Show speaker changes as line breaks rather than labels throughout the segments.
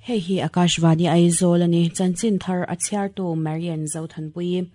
Hei hi Akashvani Aizawl a ni. Chanchin thar a chhiartu Marian Zothanpuii.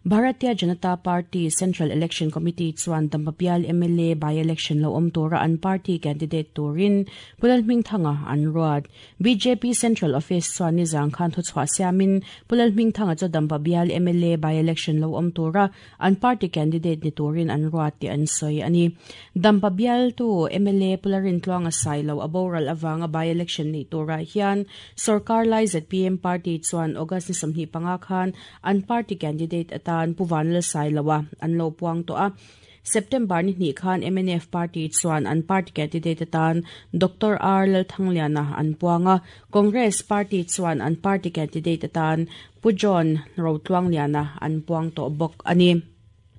Bharatiya Janata Party Central Election Committee chuan Dambabial mla by-election lo awm tura an party candidate turin Pu Lalhmingthanga an ruat. Bjp Central Office chuan nizang khan thuchhuah siamin Pu Lalhmingthanga chu Dambabial mla by-election lo awm tura an party candidate ni turin an ruat tih an sawi a ni. Dampa bialtu mla Pu Larintluanga Sailo a boral avanga by-election neih turah hian sorkar lai zpm party chuan August ni 25 khan an party candidate atan Pu Vanlal Sailoa an lo puang tawh a. September ni hnih khan mnf party chuan an party candidate atan Doctor R Lalthangliana an puang a, Congress party chuan an party candidate atan Pu John Rotluangliana an puang tawh bawk a ni.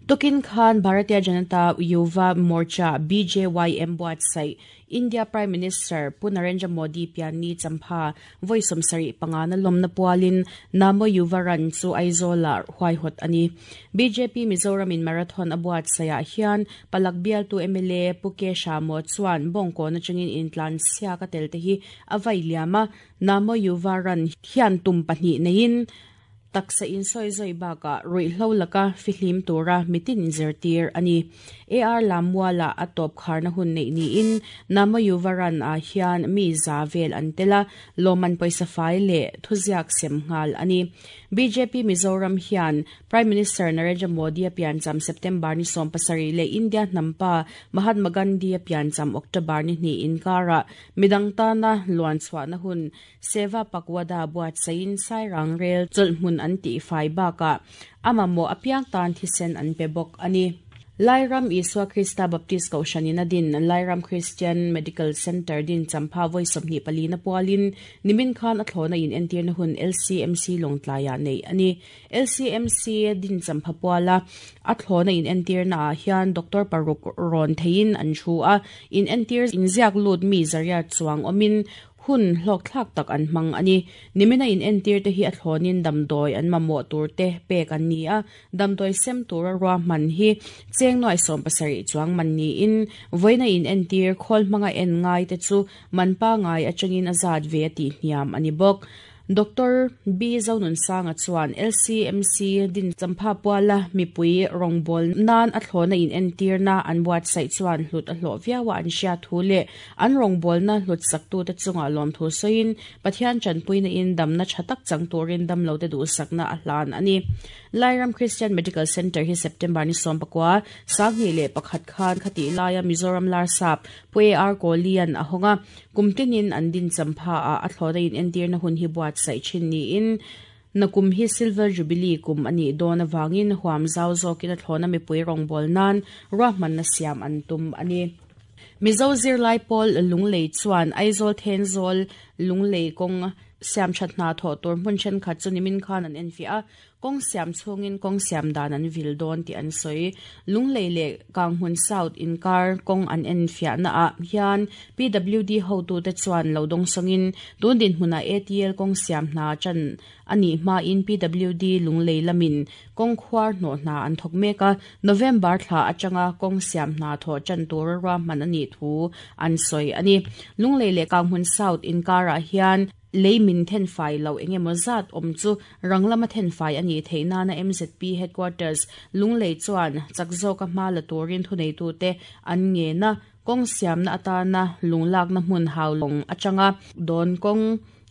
Tukin khan Bharatiya Janata Yuva Morcha, BJYM, buatsaih India Prime Minister Pu Narendra Modi pianni champha vawi 75 na lawmna pualin Namo Yuva Run chu Aizawlah huaihawt a ni. Bjp Mizoramin marathon a buatsaihah hian Palak bialtu mla Pu Ke Shamo chuan bawngkawn atangin intlan siak a tel te hi a vai liam a, Namo Yuva Run hian tum pahnih neiin taksa insawi zawi bakah ruihhlo laka fihlim tura mitin inzirtir a ni. AR Lammuala a tawp kharna hun neih niin Namo Yuva Run ah hian mi za vel an tel a, lawmman pawisa fai leh thuziak sem nghal a ni. Bjp Mizoram hian Prime Minister Narendra Modi a piancham September ni 17 leh India hnampa Mahatma Gandhi a piancham October ni hnih inkarah midang tana luan chhuahna hun Seva Pakwada buatsaihin Sairang rel chawlhhmun an tihfai bakah a mamawh apiang tan thisen an pe bawk a ni. Lairam Isua Krista Baptist Kohhranin a din Lairam Christian Medical Centre din champha vawi 24 na pualin nimin khan a thlawhna inentirna hun LCMC Lawngtlaiah neih a ni. LCMC din champha puala a thlawhna inentirna ah hian doctor paruk rawn theiin an thu a, inentir inziak lut mi zariat chuang awmin Hun hlawkthlak tak an hmang a ni. Nimina inentir te hi a thlawnin damdawi an mamawh tur te pek an ni a, damdawi sem tura ruahman hi cheng nuai 17 chuang man niin vawiina inentir khawl hmanga en ngai te chu man pangai atangin a zat ve a tih hniam a ni bawk. Doctor B Zonunsanga chuan LCMC din champha puala mipui rawngbâwl nan a thlawhna inentirna an buatsaih chuan hlut a hlawh viau a an hriat thu leh an rawngbâwlna hlut saktute chungah lawmthu sawiin Pathian tanpuina in damna tha tak chang turin damlote duhsakna a hlan a ni. Lairam Christian Medical Centre hi September ni 19, 2001 khan khatih laia Mizoram Larsap Pu AR Kohli-a'n a hawng a, Kum tinin an din champha ah a thlawhna in entirna hun hi buatsaih thin niin nakum hi Silver Jubilee kum a nih dawn avangin huam zau zawkin a thlawhna mipui rawngbâwl nan ruahmanna siam an tum a ni. Mizo zirlai pawl Lunglei chuan Aizawl Thenzawl Lunglei kawng siamthat hna thawh tur hmun thenkhat chu nimin khan an enfiah a, Kawng siam chhungin kawng siam dan an vil dawn tih an sawi. Lunglei leh Kanghmun South inkar kawng an enfiahna ah hian PWD hotute chuan lo dawngsawngin tun dinhmunah ATL kawng siam hna tan a nih hmain PWD Lunglei lamin kawng khuar hnawh hna an thawk mek a, November thla atanga kawng siam hna thawh tan tura ruahman a nih thu an sawi a ni. Lunglei leh Kanghmun South inkarah hian Lei min thenfai loh eng emaw zat awm chu rang lama thenfai a nih theih nana MZP Headquarters Lunglei chuan chak zawka hma la turin thuneitute an ngen a, kawng siamna atana lunglakna hmun haulawng atanga dawn kawng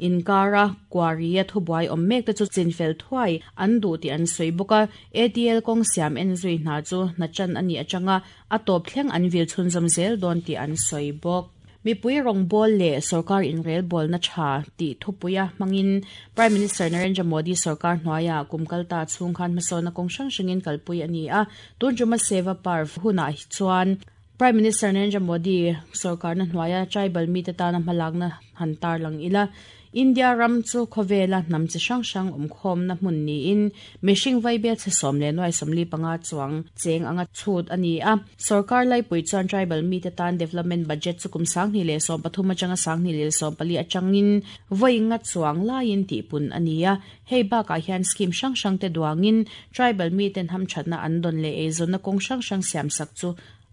inkara quarry-a thubuai awm mek te chu chinfel thuai an duh tih an sawi bawk a, ATL kawng siam enzui hna chu hna chan a nih atanga a tawp thleng an vil chhunzawm zel dawn tih an sawi bawk. Mipui rawngbâwl leh sorkar inrelbâwlna ṭha tih thupuia hmangin Prime Minister Narendra Modi sorkar hnuaiah kum kalta chhung khan hmasawnna kawng hrang hrangin kalpui a ni a. Tun ṭuma Seva Parv hunah chuan Prime Minister Narendra Modi sorkarna hnuaia tribal mite tana hmalakna han tarlang ila. India ram chu khawvela hnam chi hrang hrang awmkhawmna hmun niin mihring vaibel chhe sawm leh nuai 45 chuang cheng anga chhut a ni a. Sorkar laipui chuan tribal mite tan development budget chu kum 2013 atanga 2014 atangin vawi nga chuang laiin tihpun a ni a. Hei bakah hian scheme hrang hrang te duangin tribal miten hamthatna an dawn leh eizawnna kawng hrang hrang siamsak chu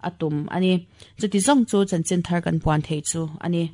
a tum a ni. Chuti zawng chu chanchin thar kan puan theih chu a ni.